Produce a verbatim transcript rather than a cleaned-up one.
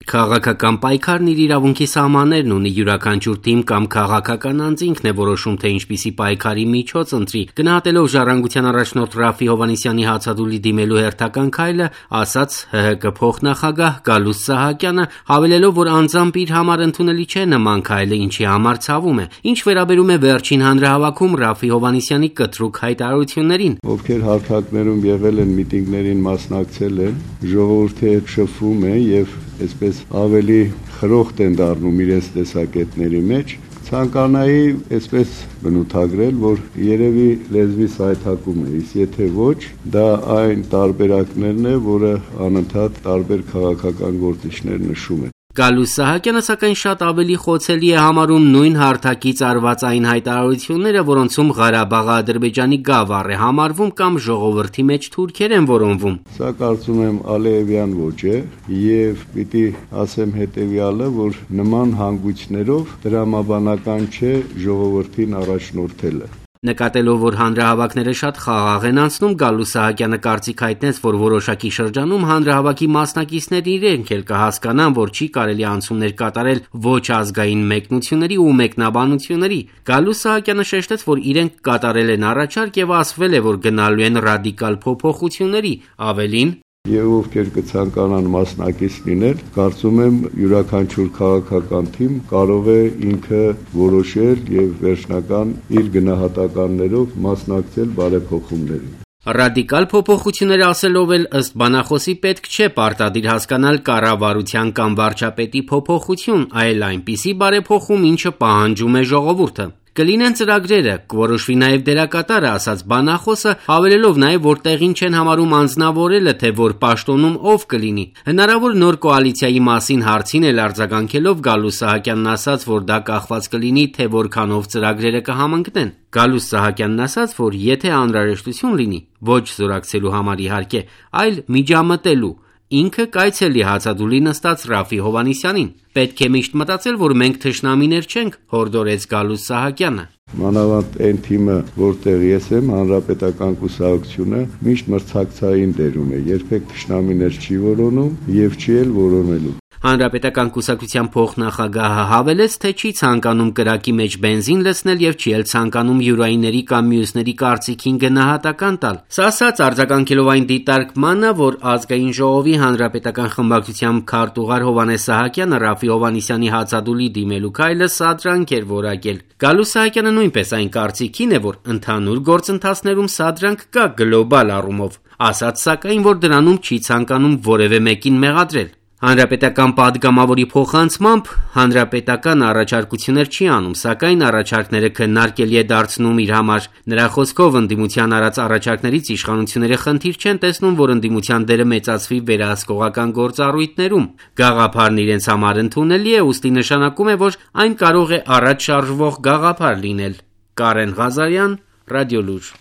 Քաղաքական պայքարն իր իրավունքի սահմաններն ունի, յուրաքանչյուր թիմ կամ քաղաքական անձ ինքն է որոշում, թե ինչպիսի պայքարի միջոց ընտրի։ Գնահատելով Ժառանգության առաջնորդ Րաֆֆի Հովհաննիսյանի հացադուլի դիմելու հերթական քայլը, ասաց ՀՀԿ փոխնախագահ Գալուստ Սահակյանը, հավելելով, որ անձամբ իր համար ընդունելի չէ նման քայլը, ինչի համար ցավում է։ Ինչ վերաբերում է վերջին հանրահավաքում Րաֆֆի Հովհաննիսյանի կտրուկ հայտարարություններին, ովքեր հարթակներում եղել են, միտինգներին մասնակցել են, ժողովրդի հետ շփվում է եւ այսպես ավելի խրոխտ են դառնում իրենց տեսակետների մեջ, ցանկանայի այսպես բնութագրել, որ երևի լեզվի սայթակում է, իսկ եթե ոչ, դա այն տարբերակներն է, որը անընդհատ տարբեր քաղաքական գործիչներ նշում են։ Գալուստ Սահակյանը սակայն շատ ավելի խոցելի է համարում նույն հարթակից արված այն հայտարարությունները, որոնցում Ղարաբաղը Ադրբեջանի գավառ է համարվում կամ ժողովրդի մեջ թուրքեր են որոնվում։ Սա կարծում եմ Ալիևյան ոճ է եւ պիտի ասեմ հետեւյալը, որ նման հանգույցներով դրամաբանական չէ ժողովրդին առաջնորդելը։ Նկատելով, որ հանրահավաքները շատ խաղաղ են անցնում, Գալուստ Սահակյանը կարծիք հայտնեց, որ որոշակի շրջանում հանրահավաքի մասնակիցներն իրենք էլ կհասկանան, որ չի կարելի անցումներ կատարել ոչ ազգային մեկնությունների ու մեկնաբանությունների։ Գալուստ Սահակյանը շեշտեց, որ իրենք կատարել են առաջարկ եւ ասվել է, որ գնալու են ռադիկալ փոփոխությունների, ավելին, Եվ ովքեր կցանկանան մասնակից լինել, կարծում եմ յուրաքանչյուր քաղաքական թիմ կարող է ինքը որոշել եւ վերջնական իր գնահատականներով մասնակցել բարեփոխումներին։ Ռադիկալ փոփոխություններ ասելով էլ ըստ բանախոսի պետք չէ պարտադիր հասկանալ կառավարության կամ վարչապետի փոփոխություն, այլ այնպիսի բարեփոխում, ինչը պահանջում է ժողովուրդը։ Կլինեն ծրագրերը, կորոշվի նաև դերակատարը, ասաց բանախոսը, հավելելով նաև, որ տեղին չեն համարում անձնավորելը, թե որ պաշտոնում ով կլինի։ Հնարավոր նոր կոալիցիայի մասին հարցին էլ արձագանքելով Գալուստ Սահակյանն ասաց, որ դա կախված կլինի, թե որքանով ծրագրերը կհամընկնեն։ Գալուստ Սահակյանն ասաց, որ եթե անհրաժեշտություն լինի, ոչ զորակցելու համար իհարկե, այլ միջամտելու, ինքը կայցելի հացադուլի նստած Րաֆֆի Հովհաննիսյանին։ Պետք է միշտ մտածել, որ մենք թշնամիներ չենք, հորդորեց Գալուստ Սահակյանը։ Մանավանդ այն թիմը, որտեղ ես եմ, Հանրապետական կուսակցությունը միշտ մրցակցային դերում է, երբեք թշնամիներ չի որոնում եւ չի էլ որոնելու։ Հանրապետական կուսակցության փոխնախագահը հավելեց, թե չի ցանկանում կրակի մեջ բենզին լցնել եւ չի էլ ցանկանում յուրայինների կամ մյուսների կարծիքին գնահատական տալ։ Սա ասաց արձագանքելով այն դիտարկմանը, որ ազգային ժողովի հանրապետական խմբակցության քարտուղար Հովհաննես Սահակյանը Րաֆֆի Հովհաննիսյանի հացադուլի դիմելու քայլը սադրանք էր որակել։ Գալուստ Սահակյանը նույնպես այն կարծիքին է, որ ընդհանուր գործընթացներում սադրանք կա գլոբալ առումով, ասաց սակայն, որ դրանում չի ցանկանում որևէ մեկին մեղադրել։ Հանրապետական պատգամավորի փոխանցմամբ հանրապետական առաջարկություններ չի անում, սակայն առաջարկները քննարկելի է դարձնում իր համար։ Նրա խոսքով ընդդիմության արած առաջարկներից իշխանությունները խնդիր չեն տեսնում, որ ընդդիմության դերը մեծացվի վերահսկողական գործառույթներում։ Գաղափարն իրենց համար ընդունելի է, ուստի նշանակում է, որ այն կարող է առաջ շարժվող գաղափար լինել։ Կարեն Ղազարյան, Ռադիոլուր։